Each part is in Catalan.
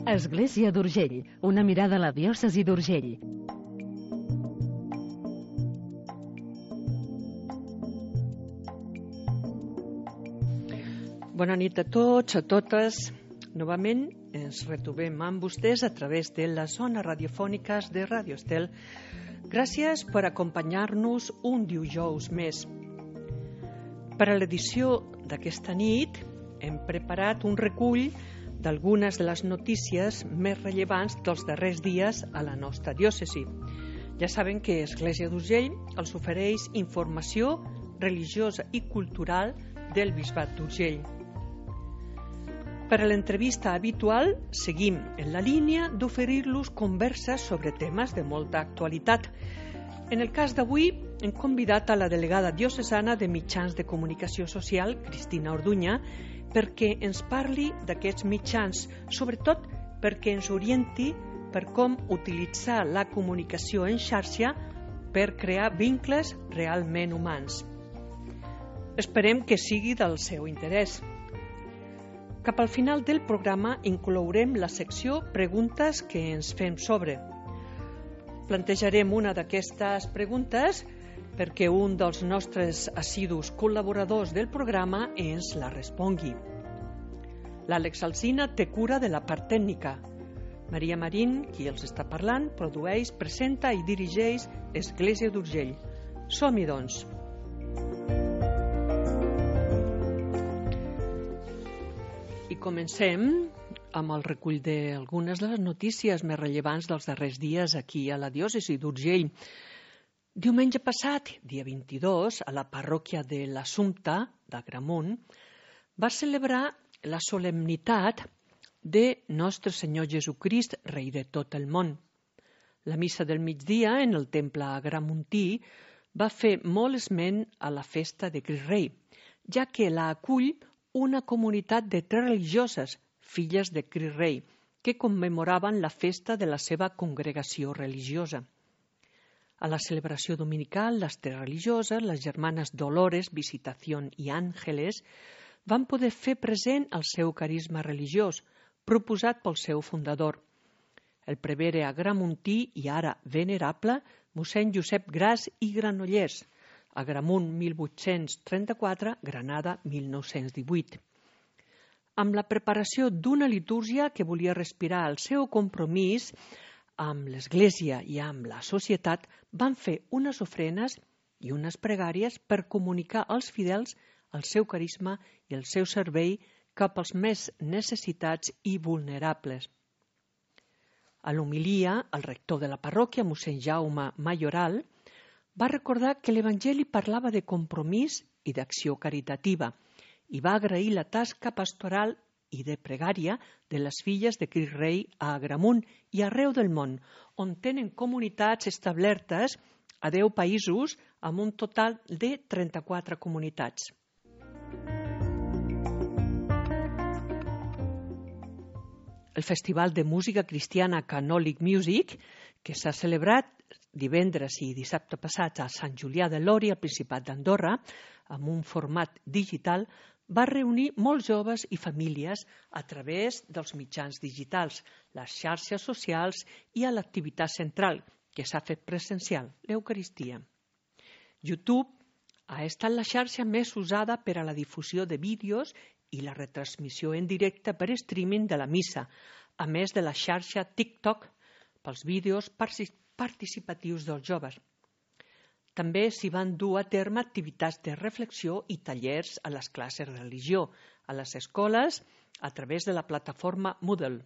Església d'Urgell, una mirada a la diòcesi d'Urgell. Bona nit a tots, a totes. Novament ens retrobem amb vostès a través de les zones radiofòniques de Radio Estel. Gràcies per acompanyar-nos un dijous més. Per a l'edició d'aquesta nit hem preparat un recull d'algunes de les notícies més rellevants dels darrers dies a la nostra diòcesi. Ja saben que Església d'Urgell els ofereix informació religiosa i cultural del Bisbat d'Urgell. Per a l'entrevista habitual, seguim en la línia d'oferir-los converses sobre temes de molta actualitat. En el cas d'avui, hem convidat a la delegada diocesana de Mitjans de Comunicació Social, Cristina Orduña, perquè ens parli d'aquests mitjans, sobretot perquè ens orienti per com utilitzar la comunicació en xarxa per crear vincles realment humans. Esperem que sigui del seu interès. Cap al final del programa inclourem la secció Preguntes que ens fem sobre. Plantejarem una d'aquestes preguntes perquè un dels nostres assidus col·laboradors del programa ens la respongui. L'Àlex Alsina té cura de la part tècnica. Maria Marín, qui els està parlant, produeix, presenta i dirigeix Església d'Urgell. Som-hi, doncs. I comencem amb el recull d'algunes de les notícies més rellevants dels darrers dies aquí a la diòcesi d'Urgell. Diumenge passat, dia 22, a la parròquia de l'Assumpta d'Agramunt, va celebrar la solemnitat de Nostre Senyor Jesucrist, Rei de tot el món. La missa del migdia en el temple agramuntí va fer molt esment a la festa de Crist Rei, ja que la acull una comunitat de 3 religioses, filles de Crist Rei, que commemoraven la festa de la seva congregació religiosa. A la celebració dominical, les 3 religioses, les germanes Dolores, Visitación i Àngeles, van poder fer present el seu carisma religiós, proposat pel seu fundador, el prevere agramuntí i ara venerable mossèn Josep Gras i Granollers, Agramunt 1834, Granada 1918. Amb la preparació d'una litúrgia que volia respirar el seu compromís amb l'Església i amb la societat, van fer unes ofrenes i unes pregàries per comunicar als fidels el seu carisma i el seu servei cap als més necessitats i vulnerables. A l'homilia, el rector de la parròquia, mossèn Jaume Mayoral, va recordar que l'Evangeli parlava de compromís i d'acció caritativa i va agrair la tasca pastoral i de pregària de les filles de Crist Rei a Agramunt i arreu del món, on tenen comunitats establertes a 10 països amb un total de 34 comunitats. El Festival de Música Cristiana Canòlic Music, que s'ha celebrat divendres i dissabte passats a Sant Julià de Lòria, al Principat d'Andorra, amb un format digital, va reunir molts joves i famílies a través dels mitjans digitals, les xarxes socials i a l'activitat central, que s'ha fet presencial, l'Eucaristia. YouTube ha estat la xarxa més usada per a la difusió de vídeos i la retransmissió en directe per streaming de la missa, a més de la xarxa TikTok pels vídeos participatius dels joves. També s'hi van dur a terme activitats de reflexió i tallers a les classes de religió, a les escoles, a través de la plataforma Moodle.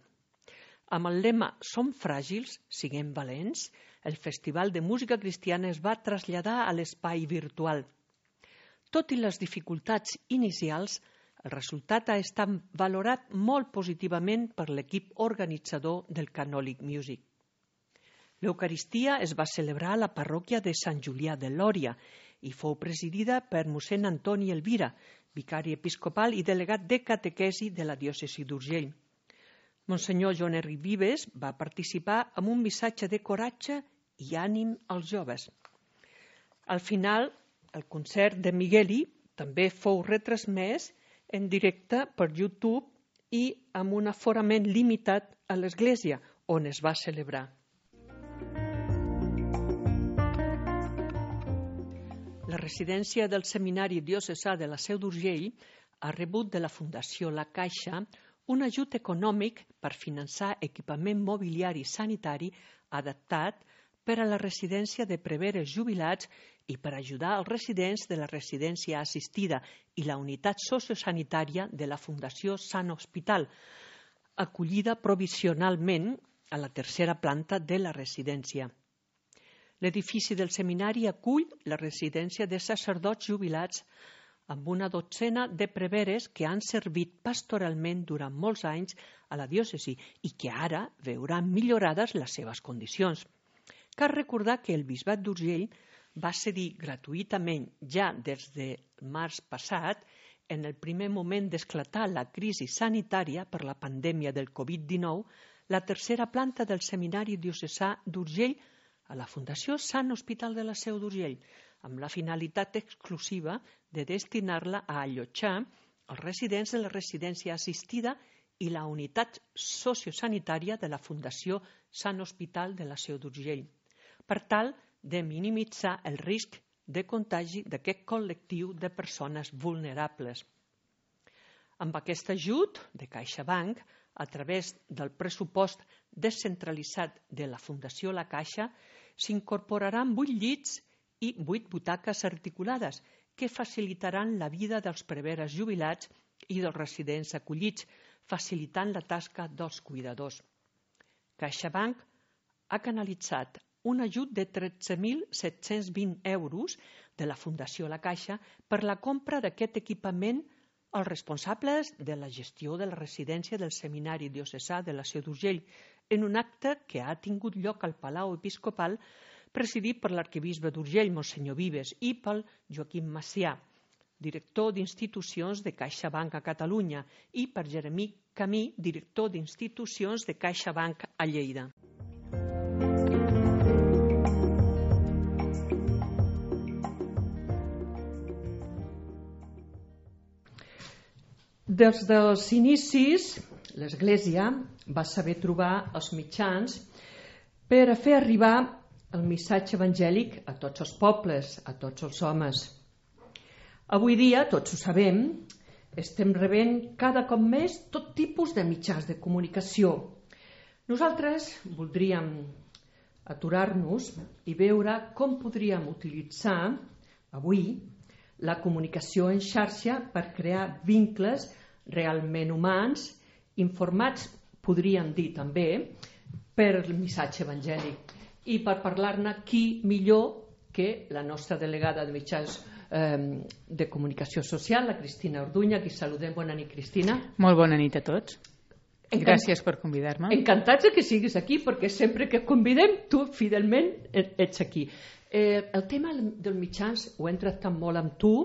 Amb el lema Som fràgils, siguem valents, el Festival de Música Cristiana es va traslladar a l'espai virtual. Tot i les dificultats inicials, el resultat ha estat valorat molt positivament per l'equip organitzador del Canòlic Music. L'Eucaristia es va celebrar a la parròquia de Sant Julià de Lòria i fou presidida per mossèn Antoni Elvira, vicari episcopal i delegat de catequesi de la diòcesi d'Urgell. Monsenyor Joan Enric Vives va participar amb un missatge de coratge i ànim als joves. Al final, el concert de Migueli també fou retransmès en directe per YouTube i amb un aforament limitat a l'església on es va celebrar. La residència del Seminari Diocesà de la Seu d'Urgell ha rebut de la Fundació La Caixa un ajut econòmic per finançar equipament mobiliari sanitari adaptat per a la residència de preveres jubilats i per ajudar els residents de la residència assistida i la unitat sociosanitària de la Fundació Sant Hospital, acollida provisionalment a la tercera planta de la residència. L'edifici del seminari acull la residència de sacerdots jubilats amb una dotzena de preveres que han servit pastoralment durant molts anys a la diòcesi i que ara veuran millorades les seves condicions. Cal recordar que el Bisbat d'Urgell va cedir gratuïtament ja des de març passat, en el primer moment d'esclatar la crisi sanitària per la pandèmia del Covid-19, la tercera planta del Seminari Diocesà d'Urgell a la Fundació Sant Hospital de la Seu d'Urgell, amb la finalitat exclusiva de destinar-la a allotjar els residents de la residència assistida i la unitat sociosanitària de la Fundació Sant Hospital de la Seu d'Urgell, per tal de minimitzar el risc de contagi d'aquest col·lectiu de persones vulnerables. Amb aquest ajut de CaixaBank, a través del pressupost descentralitzat de la Fundació La Caixa, s'incorporaran 8 llits i 8 butaques articulades que facilitaran la vida dels preveres jubilats i dels residents acollits, facilitant la tasca dels cuidadors. CaixaBank ha canalitzat un ajut de 13.720 euros de la Fundació La Caixa per la compra d'aquest equipament als responsables de la gestió de la residència del Seminari Diocesà de la Seu d'Urgell, en un acte que ha tingut lloc al Palau Episcopal, presidit per l'arquebisbe d'Urgell, Monsenyor Vives, i pel Joaquim Macià, director d'institucions de CaixaBank a Catalunya, i per Jeremí Camí, director d'institucions de CaixaBank a Lleida. Des dels inicis, l'Església va saber trobar els mitjans per a fer arribar el missatge evangèlic a tots els pobles, a tots els homes. Avui dia, tots ho sabem, estem rebent cada cop més tot tipus de mitjans de comunicació. Nosaltres voldríem aturar-nos i veure com podríem utilitzar avui la comunicació en xarxa per crear vincles realment humans, informats, podríem dir també, per el missatge evangèlic. I per parlar-ne, qui millor que la nostra delegada de mitjans de comunicació social, la Cristina Orduña, qui saludem. Bona nit, Cristina. Molt bona nit a tots. Gràcies per convidar-me. Encantats que siguis aquí, perquè sempre que convidem, tu fidelment ets aquí. El tema dels mitjans ho hem tractat molt amb tu,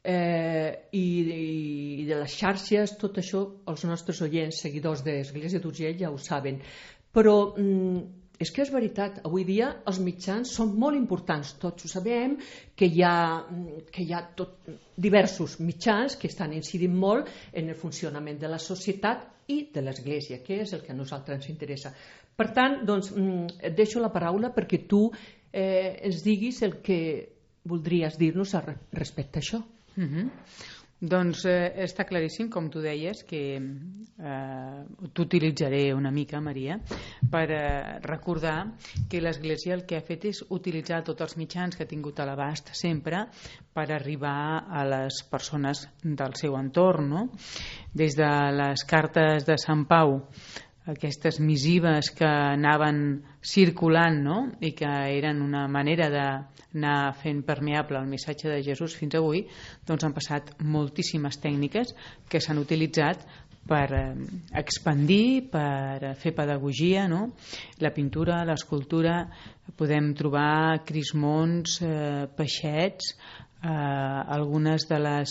i de les xarxes, tot això, els nostres oients, seguidors de l'Església d'Urgell ja ho saben. Però és que és veritat, avui dia els mitjans són molt importants, tots ho sabem, que hi ha diversos mitjans que estan incidint molt en el funcionament de la societat i de l'Església, que és el que a nosaltres ens interessa. Per tant, doncs, et deixo la paraula perquè tu ens diguis el que voldries dir-nos respecte a això. Doncs està claríssim, com tu deies, que t'utilitzaré una mica, Maria, per recordar que l'Església el que ha fet és utilitzar tots els mitjans que ha tingut a l'abast sempre per arribar a les persones del seu entorn, no? Des de les cartes de Sant Pau, aquestes missives que anaven circulant, no? I que eren una manera d'anar fent permeable el missatge de Jesús fins avui, doncs han passat moltíssimes tècniques que s'han utilitzat per expandir, per fer pedagogia, no? La pintura, l'escultura, podem trobar crismons, peixets, algunes de les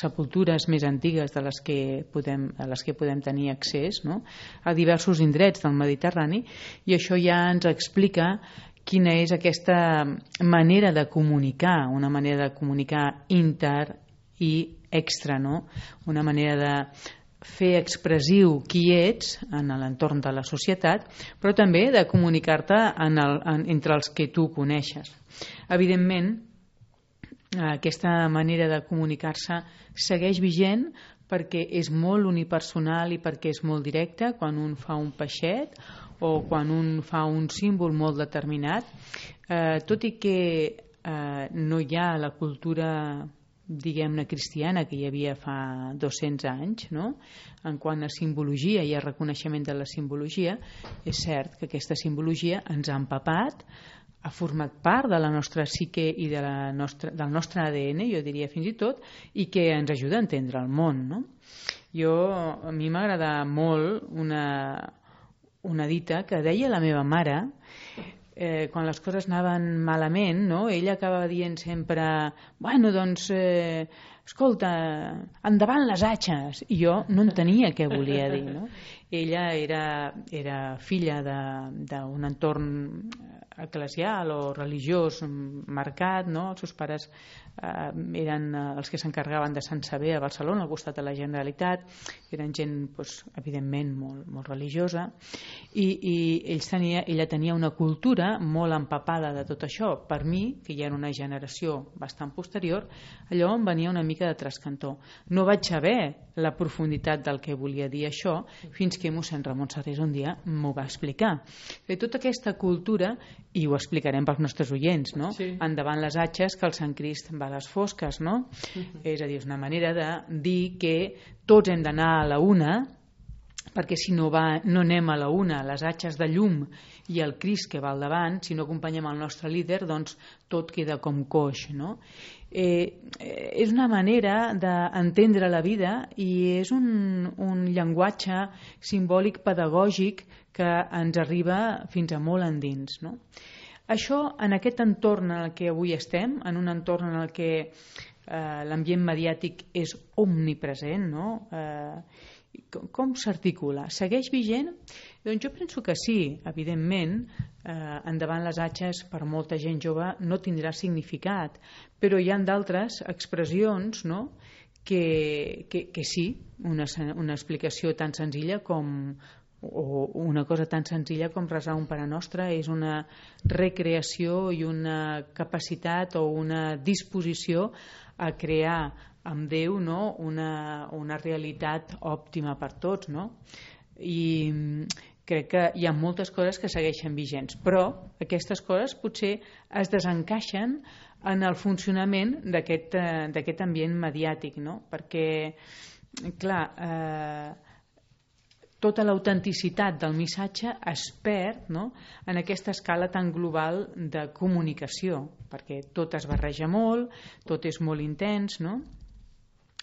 sepultures més antigues a les que podem tenir accés, no? A diversos indrets del Mediterrani, i això ja ens explica quina és aquesta manera de comunicar, una manera de comunicar inter i extra, no? Una manera de fer expressiu qui ets en l'entorn de la societat, però també de comunicar-te entre els que tu coneixes. Evidentment, aquesta manera de comunicar-se segueix vigent perquè és molt unipersonal i perquè és molt directe quan un fa un peixet o quan un fa un símbol molt determinat, tot i que no hi ha la cultura, diguem-ne, cristiana que hi havia fa 200 anys, no? En quant a simbologia i a reconeixement de la simbologia, és cert que aquesta simbologia ens ha empapat, ha format part de la nostra psique i del nostre ADN, jo diria fins i tot, i que ens ajuda a entendre el món, no? A mi m'agrada molt una dita que deia la meva mare, quan les coses anaven malament, no? Ella acabava dient sempre, bueno, doncs, escolta, endavant les atxes, i jo no entenia què volia dir, no? Ella era filla d'un entorn eclesial o religiós marcat, no? Els seus pares eren els que s'encarregaven de Sant Sever a Barcelona, al costat de la Generalitat, eren gent, doncs, evidentment, molt religiosa, i ella tenia una cultura molt empapada de tot això. Per mi, que ja era una generació bastant posterior, allò em venia una mica de trascantó. No vaig saber la profunditat del que volia dir això fins que mossèn Ramon Serrés un dia m'ho va explicar. I tota aquesta cultura, i ho explicarem pels nostres oients, no? Sí. Endavant les atxes, que el Sant Crist va a les fosques, no? És a dir, és una manera de dir que tots hem d'anar a la una, perquè si no anem a la una, les atxes de llum i el Crist que va al davant, si no acompanyem el nostre líder, doncs tot queda com coix, no? És una manera d'entendre la vida i és un llenguatge simbòlic pedagògic que ens arriba fins a molt endins, no? Això, en aquest entorn en el que avui estem, en un entorn en el que l'ambient mediàtic és omnipresent, no? Com s'articula? Segueix vigent? Doncs jo penso que sí, evidentment, endavant les atxes per molta gent jove no tindrà significat, però hi ha d'altres expressions, no? que sí, una explicació tan senzilla com o una cosa tan senzilla com resar un Pare Nostre és una recreació i una capacitat o una disposició a crear amb Déu, no? una realitat òptima per tots, no? I crec que hi ha moltes coses que segueixen vigents, però aquestes coses potser es desencaixen en el funcionament d'aquest ambient mediàtic, no? Perquè, clar, tota l'autenticitat del missatge es perd, no? En aquesta escala tan global de comunicació, perquè tot es barreja molt, tot és molt intens, no?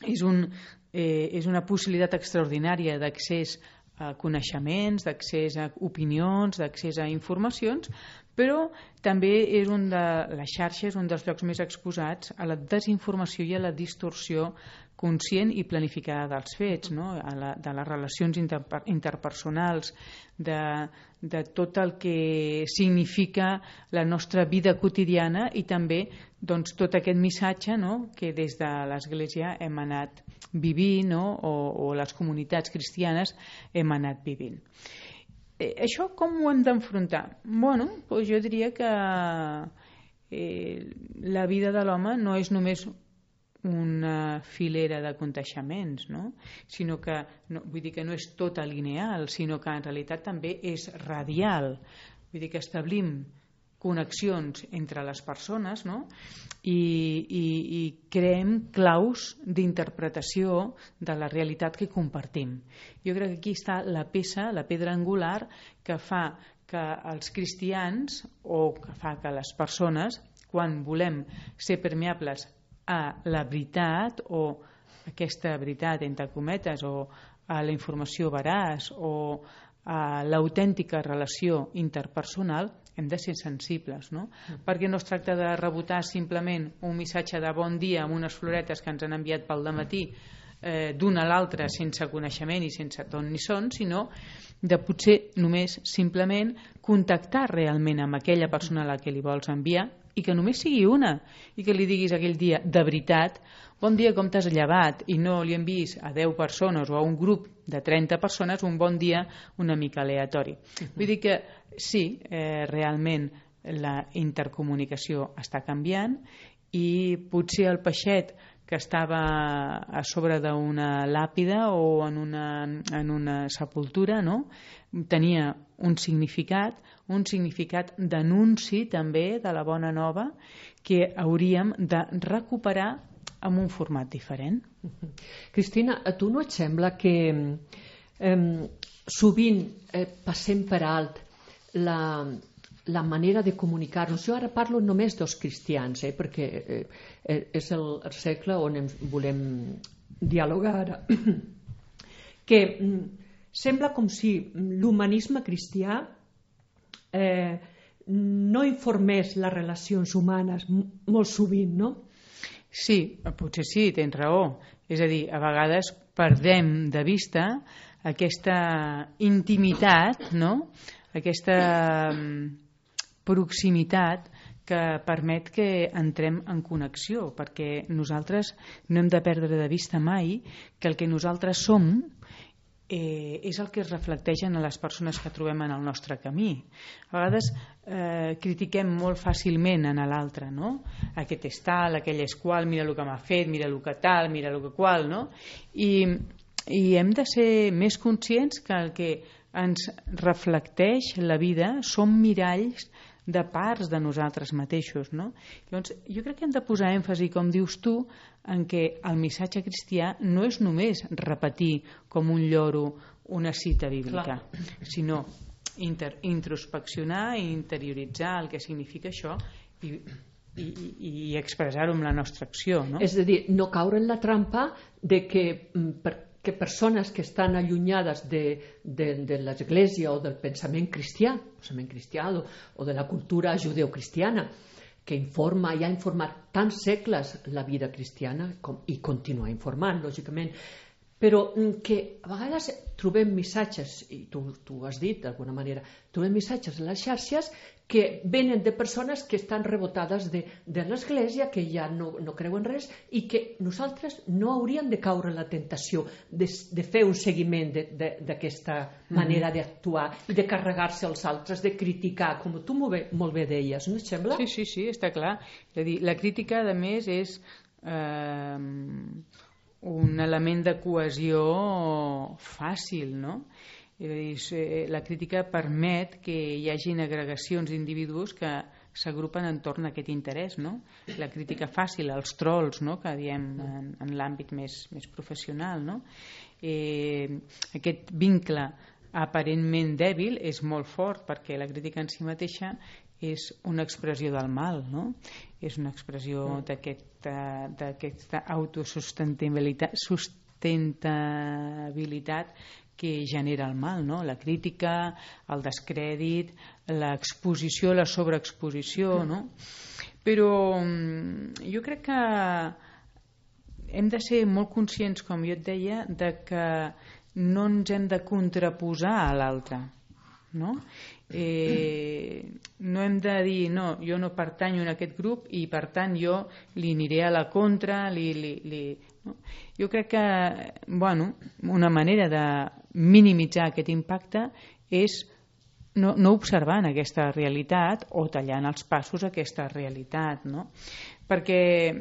És una possibilitat extraordinària d'accés a coneixements, d'accés a opinions, d'accés a informacions, però també la xarxa és un dels llocs més exposats a la desinformació i a la distorsió conscient i planificada dels fets, no? De les relacions interpersonals, de tot el que significa la nostra vida quotidiana i també doncs, tot aquest missatge, no? Que des de l'Església hem anat vivint, no? o les comunitats cristianes hem anat vivint. Això com ho hem d'enfrontar? Bueno, doncs jo diria que la vida de l'home no és només una filera de conteixements, no? Sinó que, vull dir que no és tot lineal, sinó que en realitat també és radial. Vull dir que establim connexions entre les persones, no? I creem claus d'interpretació de la realitat que compartim. Jo crec que aquí està la pedra angular que fa que els cristians o que fa que les persones, quan volem ser permeables a la veritat o aquesta veritat entre cometes o a la informació veraç o a l'autèntica relació interpersonal, hem de ser sensibles, no? Perquè no es tracta de rebotar simplement un missatge de bon dia amb unes floretes que ens han enviat pel dematí d'un a l'altre sense coneixement i sense ton ni son, sinó de potser només simplement contactar realment amb aquella persona a la que li vols enviar i que només sigui una i que li diguis aquell dia de veritat bon dia, com t'has llevat? I no li hem vist a 10 persones o a un grup de 30 persones un bon dia una mica aleatori. Vull dir que sí, realment la intercomunicació està canviant i potser el peixet que estava a sobre d'una làpida o en una sepultura, no? Tenia un significat d'anunci també de la bona nova que hauríem de recuperar amb un format diferent. Cristina, a tu no et sembla que sovint passem per alt la manera de comunicar-nos? Jo ara parlo només dels cristians, perquè és el cercle on volem dialogar ara. Que sembla com si l'humanisme cristià no informés les relacions humanes molt sovint, no? Sí, potser sí, tens raó. És a dir, a vegades perdem de vista aquesta intimitat, no? Aquesta proximitat que permet que entrem en connexió, perquè nosaltres no hem de perdre de vista mai que el que nosaltres som és el que es reflecteix en les persones que trobem en el nostre camí. A vegades critiquem molt fàcilment en l'altre, no? Aquest és tal, aquell és qual, mira el que m'ha fet, mira el que tal, mira el que qual, no? I hem de ser més conscients que el que ens reflecteix la vida són miralls de parts de nosaltres mateixos, no? Llavors, jo crec que hem de posar èmfasi, com dius tu, en què el missatge cristià no és només repetir com un lloro una cita bíblica, sinó introspeccionar i interioritzar el que significa això i expressar-ho amb la nostra acció, no? És a dir, no caure en la trampa de que persones que estan allunyades de l'Església o del pensament cristià o de la cultura judeocristiana, que ha informat tants segles la vida cristiana i continua informant, lògicament, però que a vegades trobem missatges, i tu ho has dit d'alguna manera, trobem missatges a les xarxes que venen de persones que estan rebotades de l'Església, que ja no creuen res, i que nosaltres no hauríem de caure en la tentació de fer un seguiment d'aquesta manera d'actuar i de carregar-se als altres, de criticar, com tu molt bé deies, no et sembla? Sí, està clar. És a dir, la crítica, a més, és un element de cohesió fàcil, no? La crítica permet que hi hagin agregacions d'individus que s'agrupen entorn a aquest interès, no? La crítica fàcil, els trolls, no? Que diem en l'àmbit més professional, no? Aquest vincle aparentment dèbil és molt fort perquè la crítica en si mateixa és una expressió del mal, no? És una expressió d'aquesta autosustentabilitat que genera el mal, no? La crítica, el descrèdit, l'exposició, la sobreexposició, no? Però jo crec que hem de ser molt conscients, com jo et deia, de que no ens hem de contraposar a l'altre, no? No hem de dir no, jo no pertanyo a aquest grup i per tant jo li aniré a la contra, no? Jo crec que una manera de minimitzar aquest impacte és no observant aquesta realitat o tallant els passos a aquesta realitat, no? Perquè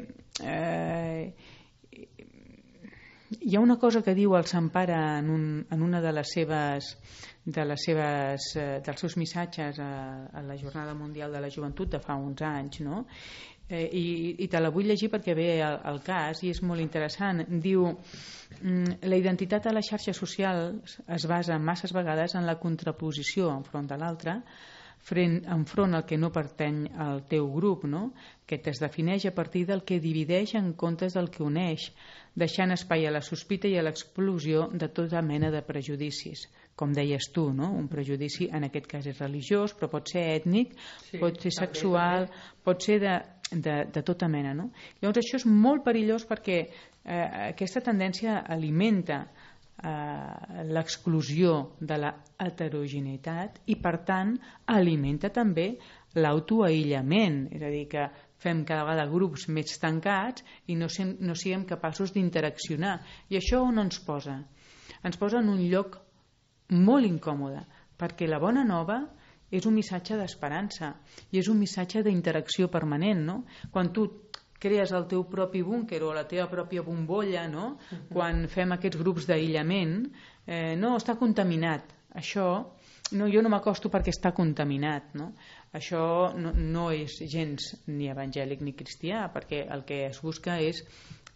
hi ha una cosa que diu el Sant Pare en una dels seus missatges a la Jornada Mundial de la Joventut de fa uns anys, no? I te la vull llegir perquè ve al cas i és molt interessant. Diu: la identitat a les xarxes socials es basa masses vegades en la contraposició enfront de l'altre, enfront al que no pertany al teu grup, no? Que es defineix a partir del que divideix en comptes del que uneix, deixant espai a la sospita i a l'explosió de tota mena de prejudicis. Com deies tu, no? Un prejudici en aquest cas és religiós, però pot ser ètnic, pot ser sexual, pot ser de tota mena, no? Llavors això és molt perillós perquè aquesta tendència alimenta l'exclusió de la heterogeneïtat i per tant alimenta també l'autoaïllament, és a dir, que fem cada vegada grups més tancats i no siguem capaços d'interaccionar. I això on ens posa? Ens posa en un lloc molt incòmode, perquè la bona nova és un missatge d'esperança i és un missatge d'interacció permanent, no? Quan tu crees el teu propi búnquer o la teva pròpia bombolla, no? Quan fem aquests grups d'aïllament, no, està contaminat. Això, no, jo no m'acosto perquè està contaminat, no? Això no és gens ni evangèlic ni cristià, perquè el que es busca és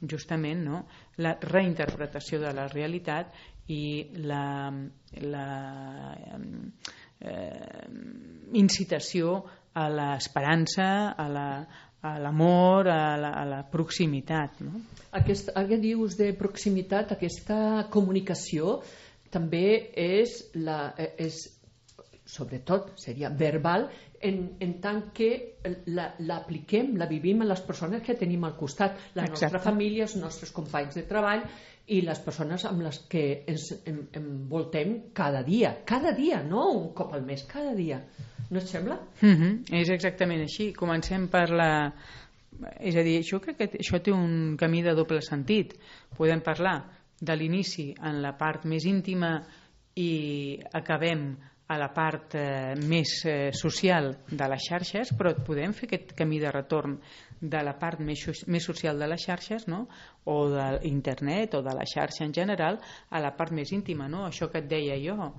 justament, no, la reinterpretació de la realitat i la incitació a l'esperança, a l'amor, a la proximitat. No? Ara que dius de proximitat, aquesta comunicació també és sobretot seria verbal en tant que l'apliquem, la vivim a les persones que tenim al costat, la nostra família, els nostres companys de treball i les persones amb les que ens envoltem cada dia, no un cop al mes, cada dia. No et sembla? És exactament així. Comencem per la... És a dir, jo crec que això té un camí de doble sentit. Podem parlar de l'inici en la part més íntima i acabem a la part més social de les xarxes, però podem fer aquest camí de retorn de la part més social de les xarxes, no? O d'internet o de la xarxa en general a la part més íntima, no? Això que et deia jo,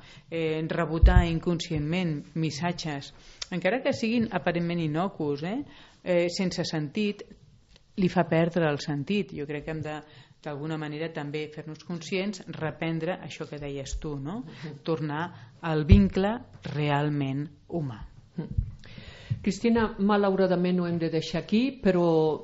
rebotar inconscientment missatges, encara que siguin aparentment innocus, sense sentit, li fa perdre el sentit. Jo crec que hem de d'alguna manera també fer-nos conscients, reprendre això que deies tu, no? Tornar al vincle realment humà. Cristina, malauradament ho hem de deixar aquí, però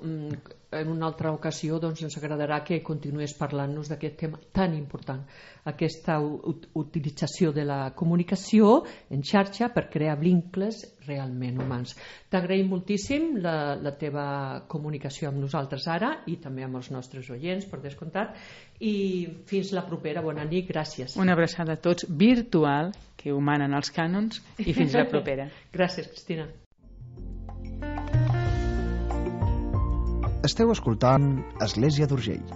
en una altra ocasió doncs, ens agradarà que continués parlant-nos d'aquest tema tan important, aquesta utilització de la comunicació en xarxa per crear vincles realment humans. T'agraïm moltíssim la teva comunicació amb nosaltres ara i també amb els nostres oients, per descomptat, i fins la propera. Bona nit, gràcies. Una abraçada a tots virtual, que ho manen els cànons, i fins la propera. Gràcies, Cristina. Esteu escoltant Església d'Urgell.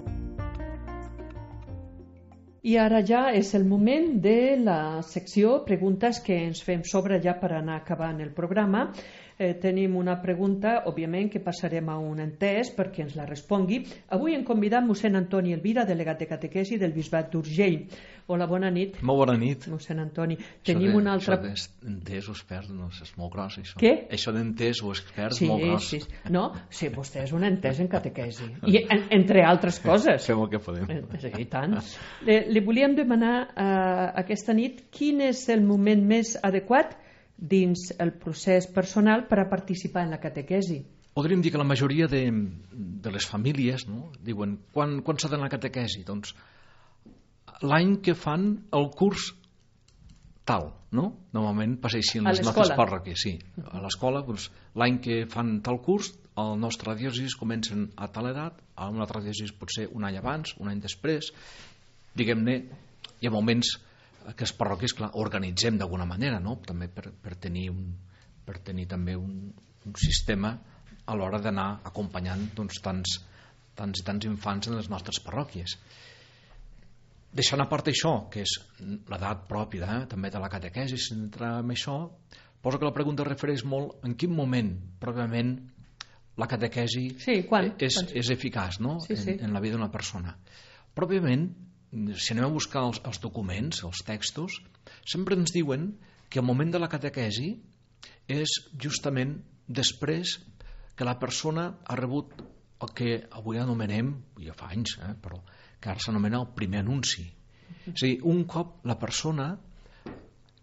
I ara ja és el moment de la secció preguntes que ens fem sobre ja per anar acabant el programa. Tenim una pregunta, òbviament, que passarem a un entès perquè ens la respongui. Avui hem convidat mossèn Antoni Elvira, delegat de catequesi del Bisbat d'Urgell. Hola, bona nit. Molt bona nit. Mossèn Antoni. Tenim una altra... Això d'entès o expert, no, és molt gros, això. Què? Això d'entès o expert és molt gros. Sí. No, sí, vostè és un entès en catequesi. I entre altres coses. Fem el que podem. I tant. Li volíem demanar aquesta nit quin és el moment més adequat dins el procés personal per a participar en la catequesi. Podríem dir que la majoria de les famílies, no, diuen, quan s'ha d'anar a la catequesi? Doncs l'any que fan el curs tal, no? Normalment passa així en les nostres parròquies, sí. A l'escola, doncs, l'any que fan tal curs, al nostre diòcesis comencen a tal edat, a una altra diòcesis potser un any abans, un any després, diguem-ne, hi ha moments que les parròquies, clar, organitzem d'alguna manera, no? També per tenir també un sistema a l'hora d'anar acompanyant doncs, tants infants en les nostres parròquies. Deixant a part això, que és l'edat pròpia també de la catequesi, si entrar en això, poso que la pregunta refereix molt en quin moment, pròpiament, la catequesi és eficaç, no? En la vida d'una persona. Pròpiament, si anem a buscar els documents, els textos, sempre ens diuen que el moment de la catequesi és justament després que la persona ha rebut el que avui anomenem, ja fa anys, però que ara s'anomena el primer anunci. És a dir, un cop la persona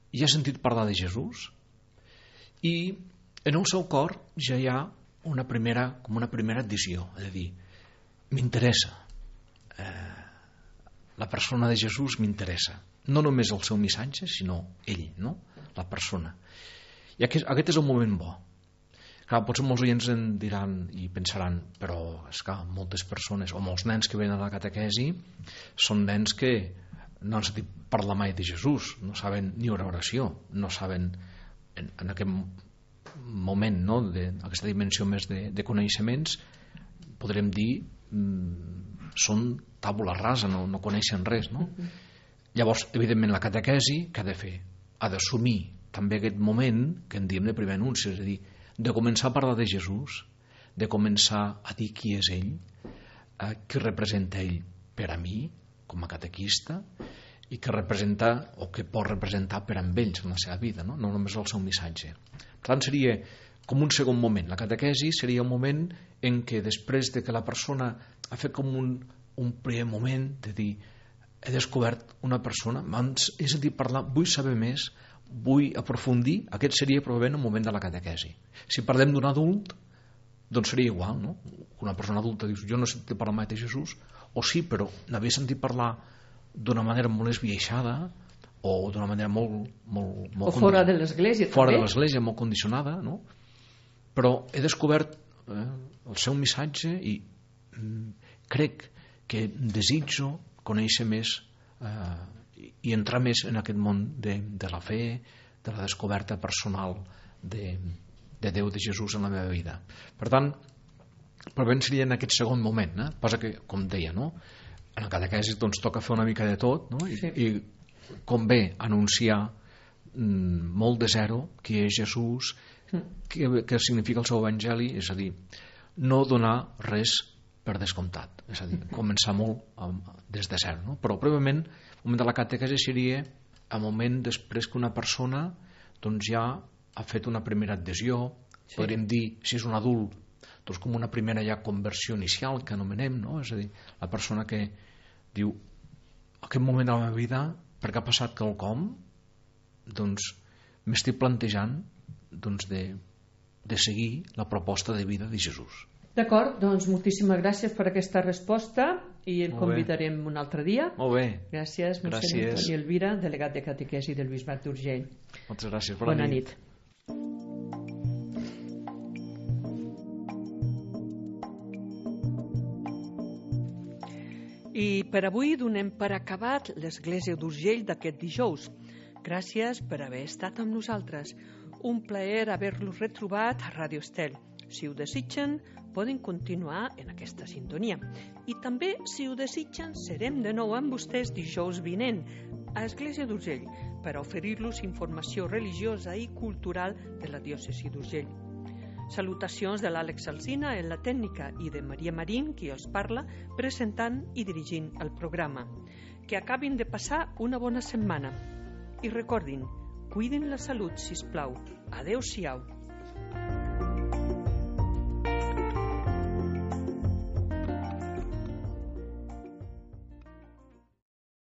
ja ha sentit parlar de Jesús i en el seu cor ja hi ha com una primera addició, és a dir, m'interessa, la persona de Jesús m'interessa, no només el seu missatge, sinó ell, no? La persona. I aquest és el moment bo. Clar, potser molts oients en diran i pensaran, però és que moltes persones o molts nens que venen a la catequesi són nens que no han sentit parlar mai de Jesús, no saben ni una oració, no saben en aquest moment, no? Aquesta dimensió més de coneixements, podrem dir, són tàbula rasa, no coneixen res, no? Llavors, evidentment, la catequesi, què ha de fer? Ha d'assumir també aquest moment que en diem de primer anunci, és a dir, de començar a parlar de Jesús, de començar a dir qui és ell, què representa ell per a mi, com a catequista, i què representa o què pot representar per a ells en la seva vida, no només el seu missatge. Per tant, seria com un segon moment. La catequesi seria un moment en què després de que la persona ha fet com un primer moment de dir he descobert una persona, he sentit parlar, vull saber més, vull aprofundir, aquest seria probablement el moment de la catequesi. Si parlem d'un adult, doncs seria igual, no? Una persona adulta dius, jo no he sentit parlar mai de Jesús, o sí, però n'havia sentit parlar d'una manera molt esbiaixada o d'una manera molt o fora de l'església fora de l'església, molt condicionada, no? Però he descobert el seu missatge i crec que desitjo conèixer més i entrar més en aquest món de la fe, de la descoberta personal de Déu, de Jesús en la meva vida. Per tant, probablement seria en aquest segon moment, passa que, com deia, no? En la catequesi doncs toca fer una mica de tot, no? I convé anunciar molt de zero qui és Jesús, què significa el seu evangeli, és a dir, no donar res per descomptat, és a dir, començar molt des de zero, no? Però prèviament el moment de la catequesi seria el moment després que una persona doncs ja ha fet una primera adhesió, podríem dir, si és un adult, doncs com una primera ja conversió inicial que anomenem, no? És a dir, la persona que diu aquest moment de la meva vida, perquè ha passat quelcom, doncs m'estic plantejant doncs, de seguir la proposta de vida de Jesús. D'acord, doncs moltíssimes gràcies per aquesta resposta i el convidarem un altre dia. Molt bé. Gràcies, mossèn Antoni Elvira, delegat de catequesi del Bisbat d'Urgell. Moltes gràcies. Bona nit. I per avui donem per acabat l'Església d'Urgell d'aquest dijous. Gràcies per haver estat amb nosaltres. Un plaer haver-los retrobat a Ràdio Estel. Si ho desitgen, poden continuar en aquesta sintonia. I també, si ho desitgen, serem de nou amb vostès dijous vinent a Església d'Urgell per oferir-los informació religiosa i cultural de la diòcesi d'Urgell. Salutacions de l'Àlex Alsina en la tècnica i de Maria Marín, qui els parla, presentant i dirigint el programa. Que acabin de passar una bona setmana. I recordin, cuidin la salut, sisplau. Adéu-siau.